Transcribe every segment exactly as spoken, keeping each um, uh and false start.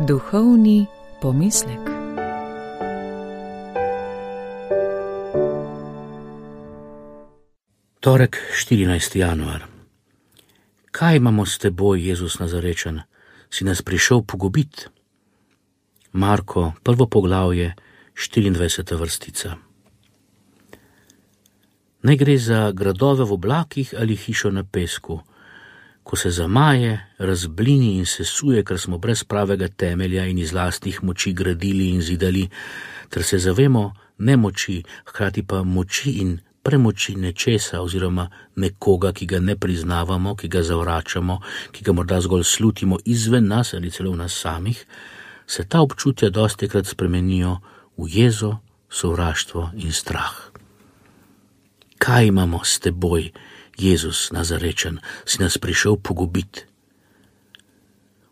Duhovni pomislek. Torek, štirinajsti januar. Kaj imamo s teboj, Jezus Nazarečan? Si nas prišel pogubit? Marko, prvo poglavje, štiriindvajseta vrstica. Ne gre za gradove v oblakih ali hišo na pesku, ko se zamaje, razblini in sesuje, ker smo brez pravega temelja in iz lastnih moči gradili in zidali, ter se zavemo nemoči, hkrati pa moči in premoči nečesa oziroma nekoga, ki ga ne priznavamo, ki ga zavračamo, ki ga morda zgolj slutimo izven nas ali celo v nas samih, se ta občutja dostikrat spremenijo v jezo, sovraštvo in strah. Kaj imamo s teboj, Jezus Nazarečan, si nas prišel pogubit?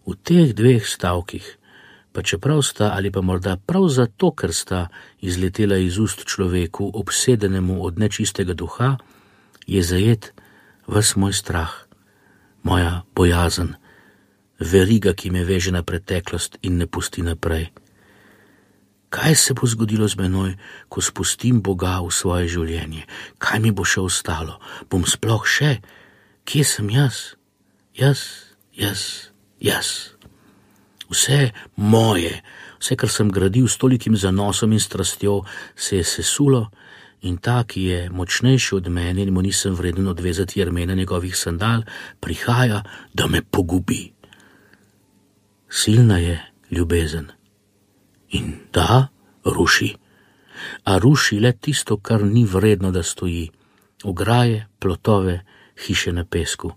V teh dveh stavkih, pa čeprav sta ali pa morda prav zato, ker sta izletela iz ust človeku, obsedenemu od nečistega duha, je zajet ves moj strah, moja bojazen, veriga, ki me veže na preteklost in ne pusti naprej. Kaj se bo zgodilo z menoj, ko spustim Boga v svoje življenje? Kaj mi bo še ostalo? Bom sploh še? Kje sem jaz? Jaz, jaz, jaz. Vse moje, vse, kar sem gradil s tolikim zanosom in strastjo, se je sesulo in ta, ki je močnejši od mene in mu nisem vreden odvezati jermena njegovih sandal, prihaja, da me pogubi. Silna je ljubezen. In da, ruši. A ruši le tisto, kar ni vredno, da stoji. Ograje, plotove, hiše na pesku.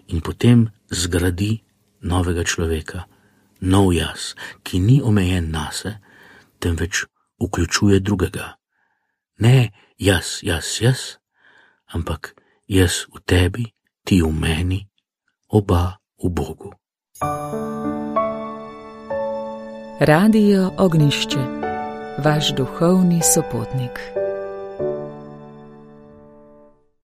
In potem zgradi novega človeka. Nov jaz, ki ni omejen nase, temveč vključuje drugega. Ne jaz, jaz, jaz, ampak jaz v tebi, ti v meni, oba v Bogu. Radio Ognjišče, vaš duhovni sopotnik.